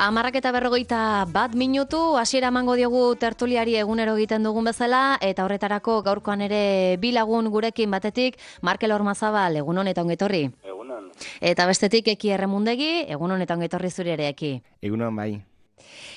10:41 hasiera emango diogu tertuliari egunero egiten dugun bezala, eta horretarako gaurkoan ere bi lagun gurekin, batetik Markel Ormazabal, egunon eta ongi etorri. Egunon. Eta bestetik Eki Erremundegi, egunon eta ongi etorri zuri ere, Eki. Egunon bai.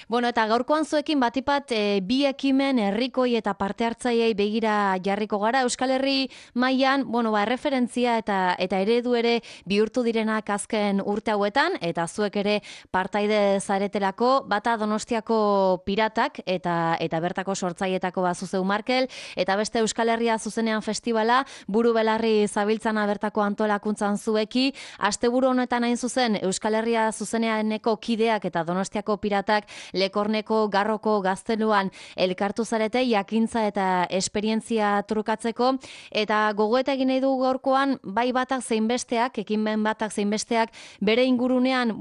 Bueno, eta gaurkoan zuekin batipat bi ekimen herrikoi eta parte hartzaileei begira jarriko gara. Euskal Herri mailan, erreferentzia eta eredu ere bihurtu direnak azken urte hauetan, eta zuek ere partaide zaretelako, bata Donostiako Piratak eta bertako sortzailetako bazuzeu Markel, eta beste Euskal Herria zuzenean festivala, buru belarri zabiltzana bertako antolakuntzan zueki. Asteburu honetan hain zuzen Euskal Herria zuzeneaneko kideak eta Donostiako Piratak Lekorneko Garroko Gazteluan elkartu zarete jakintza eta esperientzia trukatzeko, eta gogoeta egin nahi du gaurkoan bai batak zein besteak, ekinben batak zein besteak bere ingurunean,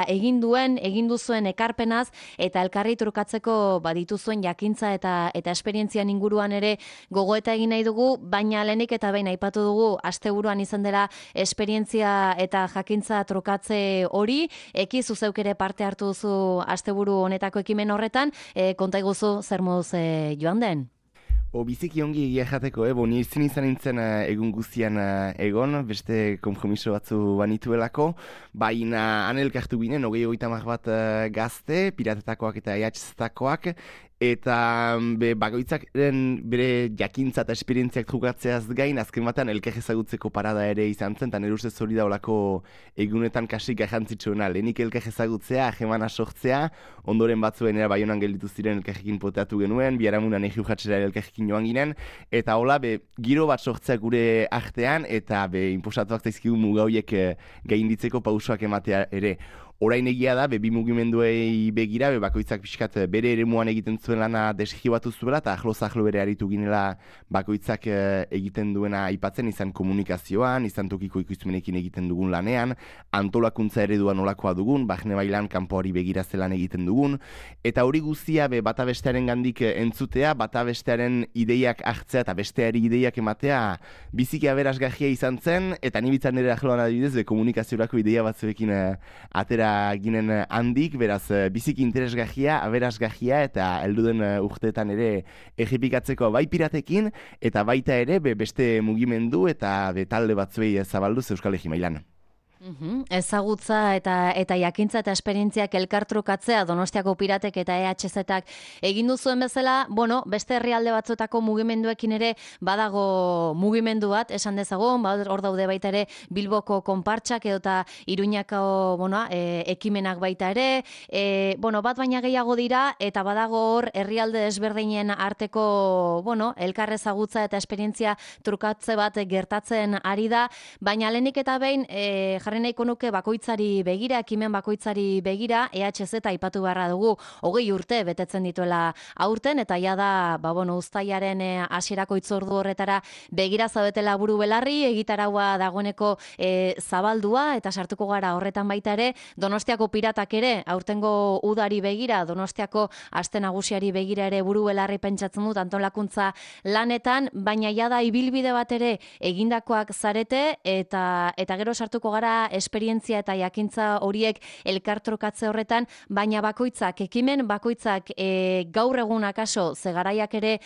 egin duzuen ekarpenaz eta elkarri trukatzeko dituzuen jakintza eta esperientzian inguruan ere gogoeta egin nahi dugu, baina lehenik eta behin aipatu dugu asteburuan izan dela esperientzia eta jakintza trukatze hori. Eki, zuzeuk ere parte hartu duzu asteburu honetako ekimen horretan, konta iguzu zer moduz joan den? Biziki ongi egia jateko, ni izan nintzen egun guztian egon, beste konpromiso batzu banituelako, baina han elkartu ginen, 20-30 bat gazte, piratetakoak eta EHZ-takoak, eta bakoitzak bere jakintza eta esperientziak trukatzeaz gain, azken batean elkar ezagutzeko parada ere izan zen, eta nire ustez hori daulako egunetan kasik garrantzitsuena. Lehenik elkar ezagutzea, ahemana sortzea, ondoren batzuen era Baionan gelditu ziren elkarrekin poteatu genuen, biharamunan egi urratxera elkarrekin joan ginen, eta hola, giro bat sortzea gure artean, eta inposatuak zaizkigu mugauiek gainditzeko pausoak ematea ere. Orain egia da, bi mugimenduei begira, bakoitzak pixkat bere eremuan egiten zuen lana deskribatu zuela, eta ahlo bere aritu ginela bakoitzak egiten duena aipatzen, izan komunikazioan, izan tokiko ikustumenekin egiten dugun lanean, antolakuntza eredua nolakoa dugun, bahne bailan kanpoari begira zelan egiten dugun, eta hori guztia bata bestearen gandik entzutea, bata bestearen ideiak hartzea eta besteari ideiak ematea biziki aberasgarria izan zen, eta nibitzan nire ahloan adibidez, komunikaziorako ideia batzuekin atera ginen handik, beraz biziki interesgarria, aberasgarria, eta helduden urteetan ere egipikatzeko bai piratekin, eta baita ere beste mugimendu eta talde batzuei zabalduz Euskal Herri mailan. Ezagutza eta jakintza eta esperientziak elkartrukatzea Donostiako Piratek eta EHZ-ak egin duzuen bezala, beste herrialde batzuetako mugimenduekin ere badago mugimendu bat, esan dezagun, hor daude baita ere Bilboko konpartsak edota Iruñako ekimenak baita ere, bat baina gehiago dira, eta badago hor herrialde desberdinen arteko elkar ezagutza eta esperientzia trukatze bat gertatzen ari da, baina lehenik eta behin jarri nahiko nuke bakoitzari begira, ekimen bakoitzari begira, EHZ aipatu beharra dugu 20 urte betetzen dituela aurten, eta ja da, uztailaren hasierako hitzordu horretara begira zaudetela buru belarri, egitaraua dagoeneko zabaldua, eta sartuko gara horretan baita ere, Donostiako Piratak ere, aurtengo udari begira, Donostiako aste nagusiari begira ere buru belarri pentsatzen dut antolakuntza lanetan, baina ja da ibilbide bat ere egindakoak zarete, eta gero sartuko gara esperientzia eta jakintza horiek elkartrukatze horretan, baina ekimen bakoitzak gaur egun akaso zegaraiak ere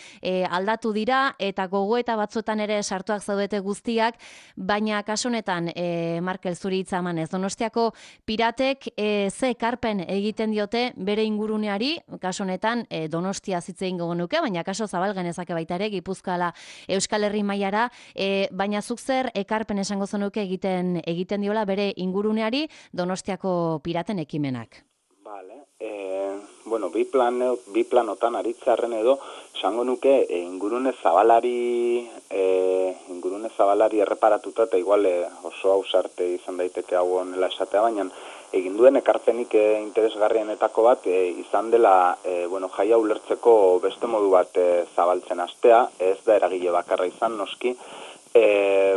aldatu dira, eta gogoeta batzuetan ere sartuak zaudete guztiak, kaso honetan, Markel, zuri hitza emanez, Donostiako Piratek ze ekarpen egiten diote bere inguruneari, kaso honetan Donostia zitzein gogo nuke, baina kaso zabal genezake baita ere, Gipuzkoa Euskal Herri mailara, baina zuk zer ekarpen esango zenuke egiten diola bere inguruneari Donostiako Piraten ekimenak. Vale. Bi planotan aritzarren edo esango nuke ingurune zabalari erreparatuta, eta igual oso ausarte izan daiteke hau honela esatea, baina egin duen ekarpenik interesgarrienetako bat izan dela jaia ulertzeko beste modu bat zabaltzen hastea, ez da eragile bakarra izan noski,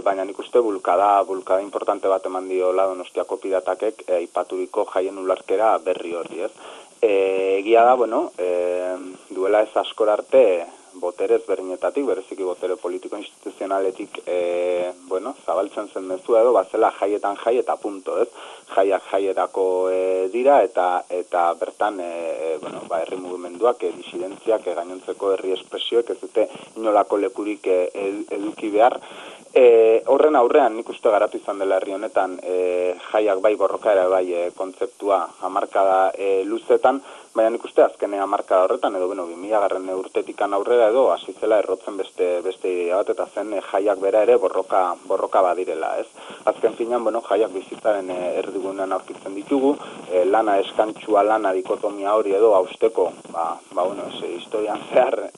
baina nik uste bulkada importante bat eman diola Donostiako Piratakek aipaturiko jaien ularkera berri horri, ez? Egia da, duela ez askor arte, botere ezberdinetatik, bereziki botere politiko instituzionaletik zabaltzen zen mezua edo, bazela jaietan jai eta punto, ez? Jaiak jaierako dira eta bertan herri mugimenduak, disidentziak, gainontzeko herri espresioek ez dute inolako lekurik eduki behar. Horren aurrean nik uste garatu izan dela herri honetan jaiak bai borroka ere bai kontzeptua hamarkada luzetan, baina nik uste azkene hamarkada horretan edo 2000 urtetikan aurrera edo hasi zela errotzen beste idea bat eta zen jaiak bera ere borroka badirela, ez? Azken finean, jaiak bizitzaren erdigunean aurkitzen ditugu, lana eskantsua lana dikotomia hori edo hausteko, historian zehar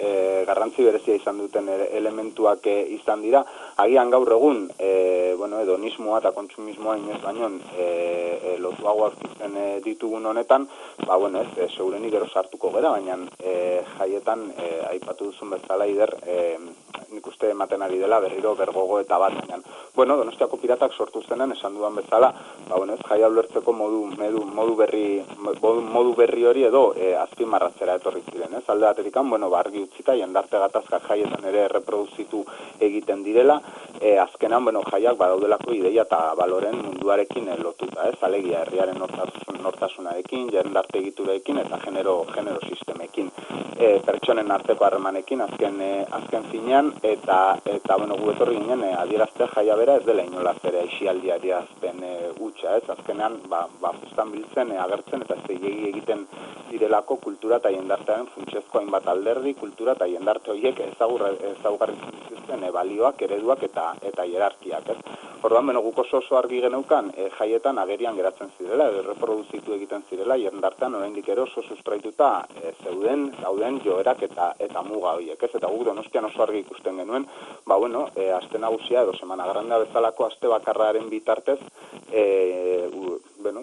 garrantzi berezia izan duten elementuak izan dira, agian gaur egun, hedonismoa eta kontsumismoa inoiz baino lotuago aurkitzen ditugun honetan, segurenik gero sartuko gara, baina jaietan aipatu duzun bezala ider, nik uste ematen ari dela berriro bergogo eta bat, baina, Donostiako piratak sortu zenen esan dudan bezala, jaia ulertzeko modu berri hori edo azpimarratzera etorri ziren, ez? Alde baterikan, argi utzita, jendarte gatazkak jaietan ere reproduzitu egiten direla, azkenan, jaiak badaudelako ideia eta baloren munduarekin lotuta, ez? Alegia herriaren nortasunarekin, jendarte egiturekin eta genero sistemekin, pertsonen arteko harremanekin azken finean, eta gu etorri ginen adieraztea jaia bera ez dela inolaz ere aisialdi adierazpen hutsa, ez? Azkenean, justan biltzen, agertzen eta zeilegi egiten direlako kultura eta jendartearen funtsezko hainbat alderdi, kultura eta jendarte horiek ezaugarri zituzten balioak, ereduak eta hierarkiak, ez? Orduan, guk oso argi geneukan jaietan agerian geratzen zirela, reproduzitu egiten zirela, jendartean oraindik ere oso sustraituta zauden joerak eta muga horiek, ez? Eta guk Donostian oso argi ikusten genuen, aste nagusia edo semana grandea bezalako aste bakarraren bitartez,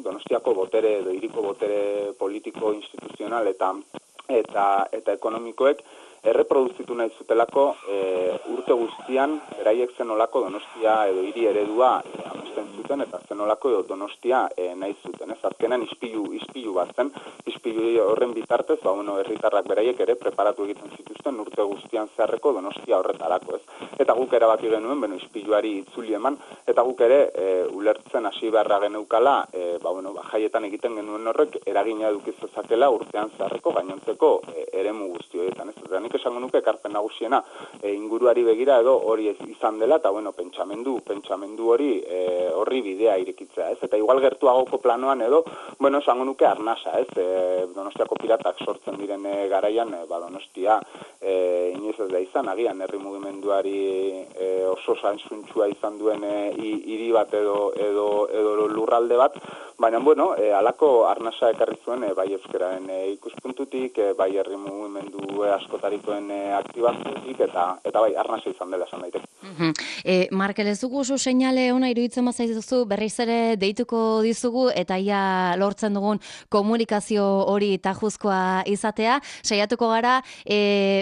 Donostiako botere edo hiriko botere politiko, instituzional eta ekonomikoek erreproduzitu nahi zutelako urte guztian beraiek zenolako Donostia edo hiri eredua amesten zuten eta zenolako edo Donostia nahi zuten. Ez azkenan ispilu bat zen, ispilu horren bitartez, herritarrak beraiek ere preparatu egiten zituzten urte guztian zeharreko Donostia horretarako, ez. Eta guk erabaki genuen, ispiluari itzuli eman, eta guk ere ulertzen hasi beharra geneukala, jaietan egiten genuen horrek eragina edukizezakela urtean zeharreko gainontzeko eremu guzti horietan, ez. Eta nik esango nuke ekarpen nagusiena inguruari begira edo hori izan dela, eta pentsamendu horri bidea irekitzea, ez? Eta igual gertuagoko planoan edo, esango nuke arnasa, ez? Donostiako piratak sortzen diren garaian, Donostia inoiz ez da izan, agian herri mugimenduari oso zainzuntsua izan duen hiri bat edo lurralde bat, baina, halako arnasa ekarri zuen bai euskararen ikuspuntutik, bai herri mugimendu askotarikoen aktibaziotik, eta bai arnasa izan dela esan daiteke. Markel, ez dugu oso seinale ona iruditzen bazaizuzu, berriz ere deituko dizugu eta ia lortzen dugun komunikazio hori tajuzkoa izatea. Saiatuko gara,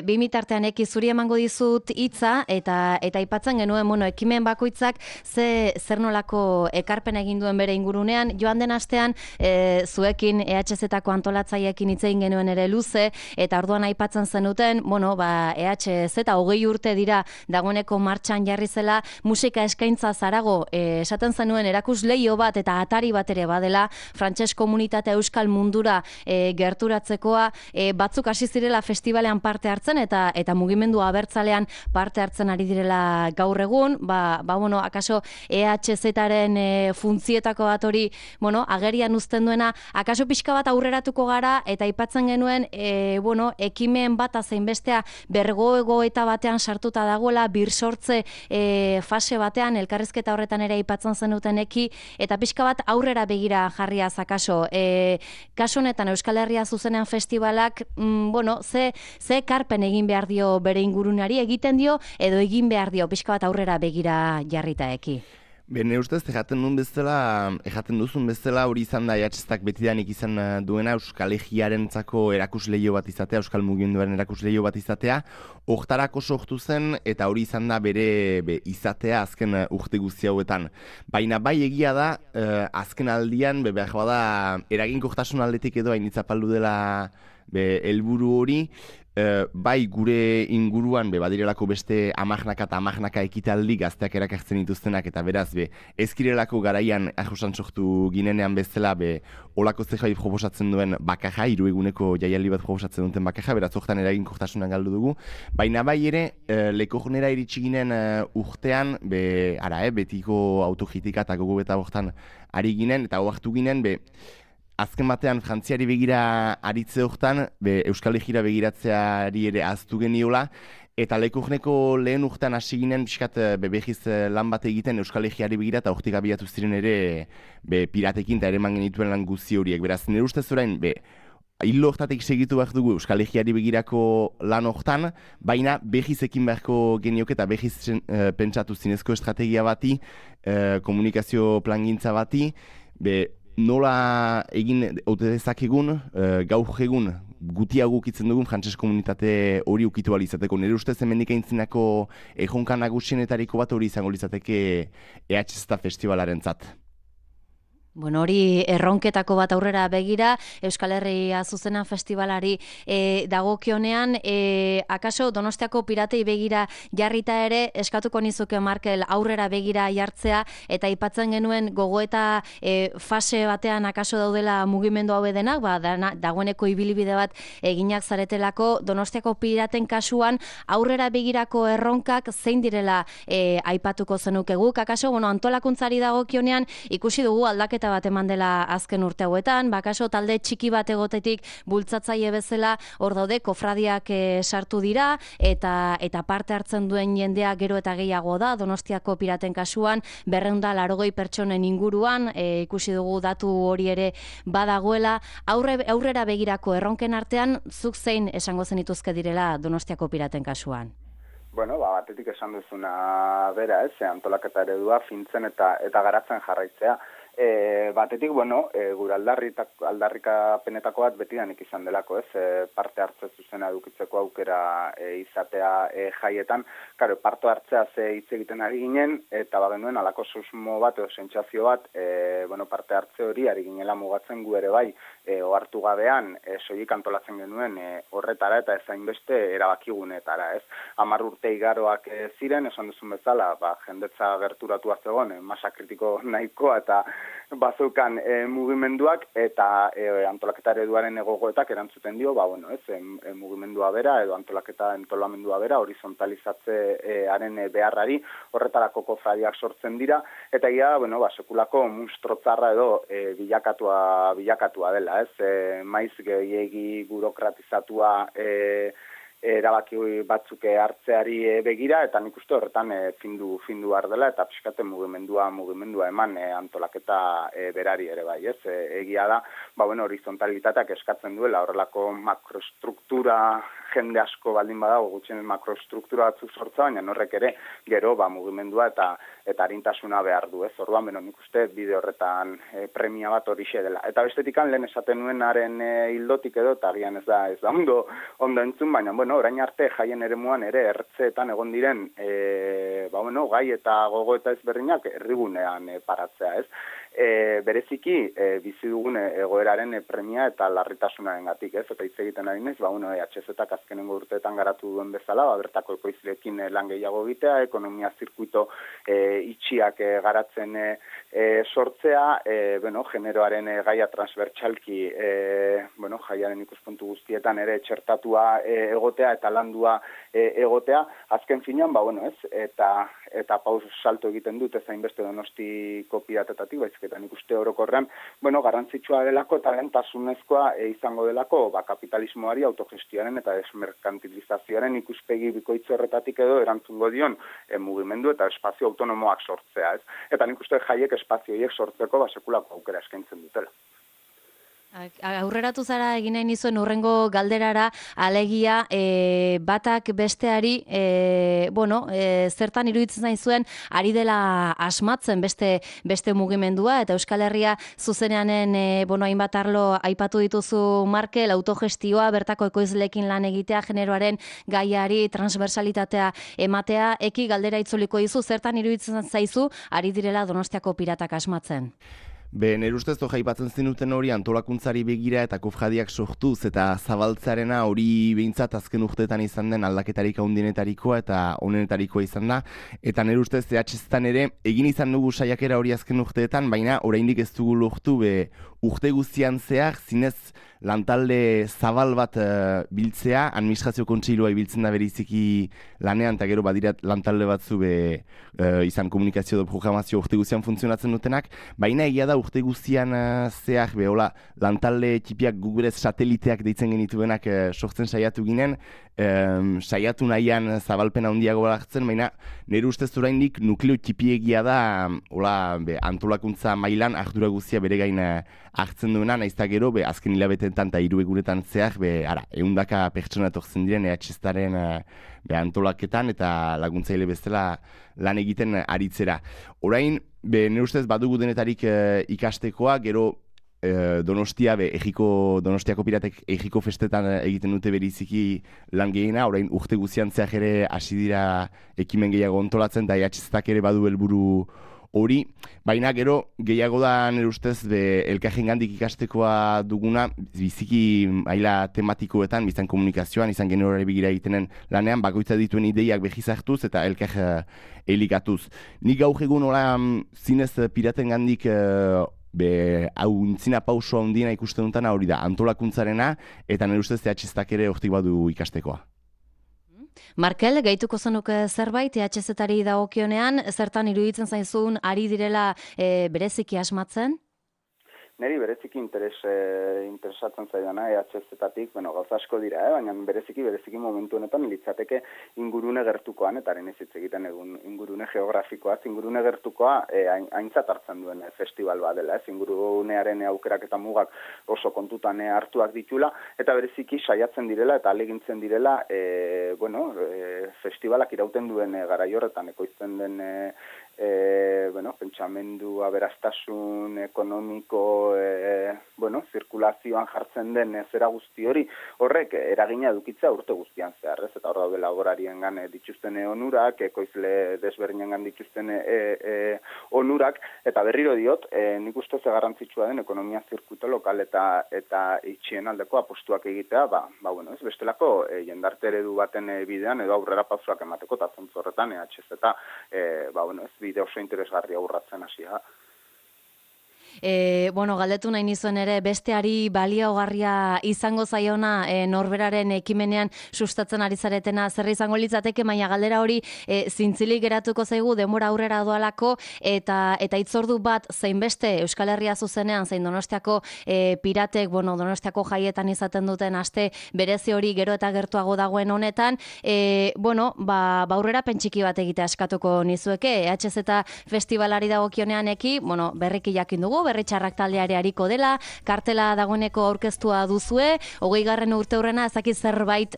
bimitartean zuri emango dizut hitza eta aipatzen genuen, ekimen bakoitzak zer nolako ekarpen egin duen bere ingurunean. Joan den astean, zuekin EHZ-ako antolatzaileekin hitz egin genuen ere luze, eta orduan aipatzen zenuten, EHZ 20 urte dira dagoeneko martxan jarri zela, musika eskaintza zarago, esaten zenuen erakusleio bat eta atari bat ere badela, frantses komunitatea euskal mundura gerturatzekoa, batzuk hasi zirela festivalean parte hartzen eta mugimendu abertzalean parte hartzen ari direla gaur egun, akaso EHZ-aren funtzietako bat hori, agerian uzten duena, akaso pixka bat aurreratuko gara eta aipatzen genuen, ekimen bat azein bestea bergoego eta batean sartuta dagoela, birsortze fase batean, elkarrizketa horretan ere aipatzen zenuten eta pixka bat aurrera begira jarriaz akaso. Kasu honetan Euskal Herria zuzenean festivalak, ze ekarpen egin behar dio bere ingurunari, egiten dio edo egin behar dio pixka bat aurrera begira jarritaeki? Bene ustez, ejaten duzun bezala hori izan da EHZ-ak betidanik izan duena Euskal Egiarentzako erakusleio bat izatea, Euskal Mugimenduaren erakusleio bat izatea, hortarako sortu zen eta hori izan da bere izatea azken urte guzti hauetan. Baina bai egia da, azken aldian, behar bada eraginkortasun aldetik edo hain itzapaldu dela helburu hori, bai gure inguruan badirelako beste amarnaka eta amarnaka ekitaldi gazteak erakartzen dituztenak eta beraz ezkirelako garaian ajosan sortu ginenean bezala olako zehoai proposatzen duen bakaja, 3 eguneko jaialdi bat proposatzen duten bakaja, beraz hortan eraginkortasunan galdu dugu, baina bai ere Lekornera iritsi ginen urtean betiko autokritika eta gogo eta hortan ari ginen eta oartu ginen azken batean Frantziari begira aritze hortan, Euskal Herrira begiratzeari ere ahaztu geniola, eta Lekorneko lehen urtean hasi ginen pixkat behiz lan bat egiten Euskal Herriari begira eta hortik abiatu ziren ere piratekin eta ere man genituen lan guzti horiek. Beraz, nire ustez orain, hildo hortatik segitu behar dugu Euskal Herriari begirako lan hortan, baina behiz ekin beharko genioke eta behiz pentsatu zinezko estrategia bati, komunikazio plangintza bati, nola egin ote dezakegun, gaur egun gutiago ukitzen dugun frantses komunitate hori ukitu alizateko. Nire ustez hemendik aintzinako erronka nagusienetariko bat hori izango lizateke EHZ festivalaren zat. Bueno, hori erronketako bat aurrera begira, Euskal Herria Zuzena Festivalari dagokionean, akaso Donostiako piratei begira jarrita ere, eskatuko nizuke Markel aurrera begira jartzea, eta aipatzen genuen gogoeta fase batean akaso daudela mugimendu hau denak, dagoeneko ibilbide bat eginak zaretelako, Donostiako piraten kasuan aurrera begirako erronkak zein direla aipatuko zenuke guk, akaso, antolakuntzari dagokionean ikusi dugu aldaketa bat eman dela azken urte hauetan, bakaso talde txiki bat egotetik bultzatzaile bezala hor daude kofradiak sartu dira eta parte hartzen duen jendea gero eta gehiago da, Donostiako piraten kasuan 280 pertsonen inguruan, ikusi dugu datu hori ere badagoela, aurrera begirako erronken artean, zuk zein esango zenituzke direla Donostiako piraten kasuan? Bueno, batetik esan duzuna bera, antolaketa eredua fintzen eta garatzen jarraitzea. Batetik, gure aldarrikapenetako bat betidanik izan delako, parte hartze zuzena edukitzeko aukera izatea jaietan. Karo, parte hartzea hitz egiten ari ginen, eta bagenuen alako susmo bat edo sentsazio bat, parte hartze hori ari ginela mugatzen gu ere bai, ohartu gabean, soilik antolatzen genuen horretara eta ezainbeste erabakigunetara, 10 urte igaroak ziren, esan duzun bezala, jendetza gerturatua zegoen, masa kritiko nahikoa eta bazeukan mugimenduak eta antolaketa ereduaren gogoetak erantzuten dio, mugimendua bera edo antolamendua bera horizontalizatzearen beharrari horretarako kofradiak sortzen dira eta sekulako munstrotzarra edo bilakatua dela, maiz gehiegi burokratizatua erabaki batzuk hartzeari begira eta nik uste horretan findu behar dela eta pixkate mugimendua eman antolaketa berari ere bai, egia da, horizontalitateak eskatzen duela horrelako makrostruktura jende asko baldin badago gutxien makrostruktura batzuk sortza, baina horrek ere gero mugimendua eta arintasuna behar du, orduan nik uste bide horretan premia bat horixe dela. Eta bestetikan lehen esaten nuenaren hildotik edo, eta agian ez da ondo entzun, baina orain arte jaien eremuan ere ertzeetan egon diren gai eta gogo eta ezberdinak herrigunean paratzea, bereziki bizi dugun egoeraren premia eta larritasunaren gatik, eta hitz egiten ari naiz, EHZ-ak azkenengo urteetan garatu duen bezala, bertako ekoizleekin lan gehiago egitea, ekonomia zirkuito itxiak garatzen sortzea, generoaren gaia transbertsalki, jaiaren ikuspuntu guztietan ere txertatua egotea eta landua egotea, azken finean, eta paus salto egiten dut ezain beste Donostiko piratetatik, eta nik uste orokorrean, garrantzitsua delako eta lehentasunezkoa izango delako kapitalismoari, autogestioaren eta desmerkantilizazioaren ikuspegi bikoitz horretatik edo erantzungo dion mugimendu eta espazio autonomoak sortzea. Eta nik uste jaiek espazio horiek sortzeko sekulako aukera eskaintzen dutela. Aurreratu zara egin nahi nizuen urrengo galderara, alegia batak besteari, zertan iruditzen zaizuen ari dela asmatzen beste mugimendua, eta Euskal Herria zuzeneanen, hainbat arlo aipatu dituzu Markel, autogestioa, bertako ekoizleekin lan egitea, generoaren gaiari, transversalitatea ematea, eki galdera itzuliko dizu, zertan iruditzen zaizu ari direla Donostiako piratak asmatzen? Nire ustez aipatzen zenuten hori antolakuntzari begira eta kofradiak sortuz eta zabaltzarena hori behintzat azken urteetan izan den aldaketarik handienetarikoa eta onenetarikoa izan da. Eta nire ustez EHZ-etan ere egin izan dugu saiakera hori azken urteetan, baina oraindik ez dugu lortu urte guztian zehar zinez lantalde zabal bat biltzea, administrazio kontseilua ibiltzen da beriziki lanean, eta gero badirat lantalde batzu izan komunikazio edo programazio urte guztian funtzionatzen dutenak, baina egia da urte guztian zehar hola, lantalde txipiak gugurez sateliteak deitzen genituenak sortzen saiatu ginen, saiatu nahian zabalpen handiago hartzen, baina nire ustez oraindik nukleo txipiegia da hola, antolakuntza mailan ardura guztia bere gain hartzen duena, nahiz eta gero azken hilabeteetan eta 3 egunetan zehar 100 pertsona etortzen diren EHZ-aren antolaketan eta laguntzaile bezala lan egiten aritzera. Orain, nire ustez badugu denetarik ikastekoa, gero Donostia, Donostiako piratek Egiko festetan egiten dute beriziki lan gehiena, orain urte guztian zehar ere hasi dira ekimen gehiago ontolatzen, eta EHZ-ak ere badu helburu hori, baina gero gehiago da nire ustez elkarrengandik ikastekoa duguna biziki maila tematikoetan, biztan komunikazioan, izan generore begira egitenen lanean, bakoitza dituen ideiak behiz hartuz eta elkar elikatuz. Nik gaur egun zinez piratengandik hau intzina pauso handiena ikusten dutana hori da antolakuntzarena eta nire ustez EHZ-ak ere hortik badu ikastekoa. Markel, gehituko zenuke zerbait EHZ-ari dagokionean, zertan iruditzen zaizun ari direla bereziki asmatzen? Neri bereziki interesatzen zaidana EHZ-tatik, gauza asko dira, baina bereziki momentu honetan litzateke ingurune gertukoan, eta haren ez hitz egiten egun ingurune geografikoa, ingurune gertukoa aintzat hartzen duen festival bat dela, ingurunearen aukerak eta mugak oso kontutan hartuak ditula, eta bereziki saiatzen direla eta alegintzen direla festivalak irauten duen garai horretan ekoizten den pentsamendu aberastasun ekonomiko zirkulazioan jartzen den zera guzti hori horrek eragina edukitzea urte guztian zehar, ez? Eta hor daude laborariengan dituzten onurak, ekoizle desberdinengan dituzten onurak, eta berriro diot, nik uste ze garrantzitsua den ekonomia zirkuito lokal eta itxien aldeko apostuak egitea, bestelako jendarte eredu baten bidean edo aurrera pausoak emateko eta zentzu horretan EHZ eta bide oso interesgarria urratzen hasia. Galdetu nahi nizuen ere besteari baliogarria izango zaiona norberaren ekimenean sustatzen ari zaretena zer izango litzateke, baina galdera hori zintzilik geratuko zaigu denbora aurrera doalako eta hitzordu bat zein beste Euskal Herria zuzenean zein Donostiako piratek, Donostiako jaietan izaten duten aste berezi hori gero eta gertuago dagoen honetan, aurrera pentsiki bat egitea eskatuko nizueke, EHZ festivalari dagokionean berriki jakin dugu, berri txarrak taldeare hariko dela, kartela dagoeneko aurkeztua duzue, 20. urte hurrena ezakit zerbait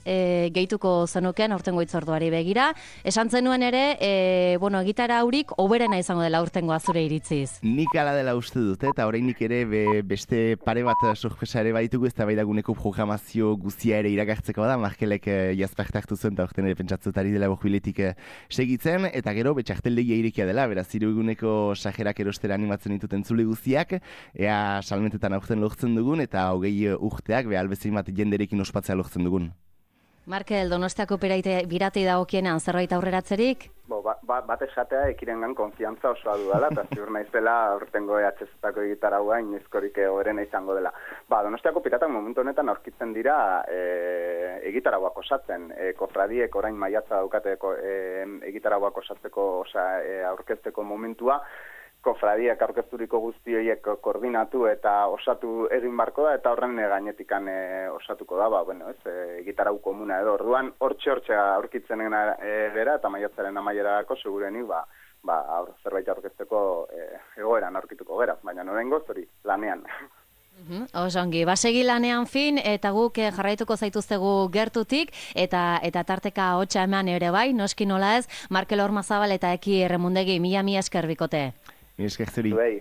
gehituko zenuken aurtengo hitzorduari begira. Esan zenuen ere, egitara haurik oberena izango dela aurtengoa zure iritziz. Nik ala dela uste dute, eta oraindik ere beste pare bat sorpresa ere baitugu, ez da baidaguneko programazio guztia ere iragartzeko da, Markelek jazpart hartu zuen, eta orten ere pentsatzutari dela borbiletik segitzen, eta gero betxarteldegia irekia dela, beraz, 3 eguneko sajerak erostera animatzen dituten zule guztiak, ea salmentetan aurten lortzen dugun, eta 20 urteak albezein bat jenderekin ospatzea lortzen dugun. Markel, Donostiako piratei dagokienean zerbait aurreratzerik? Bat esatea ekirengan konfiantza osoa dudala, eta ziur naizela aurtengo EHZ-tako egitaragua inizkorik horrena izango dela. Donostiako piratak momentu honetan aurkitzen dira egitaragoak osatzen. Kofradiek orain maiatza daukateko egitaragoak osatzeko, aurkezteko momentua, kofradiak aurkezturiko guzti horiek koordinatu eta osatu egin barko da, eta horren gainetikan osatuko da, gitarau komuna edo. Orduan, hortxe aurkitzen gera, eta maiatzaren amaierako segurenik, zerbait aurkezteko egoeran aurkituko gera, baina norengoz hori lanean. Osongi, basegi lanean fin, eta guk jarraituko zaituztegu gertutik, eta tarteka hotxa eman ere bai, noski nola ez, Markel Ormazabal eta Eki Erremundegi, mila esker bikote. Mila esker zuri.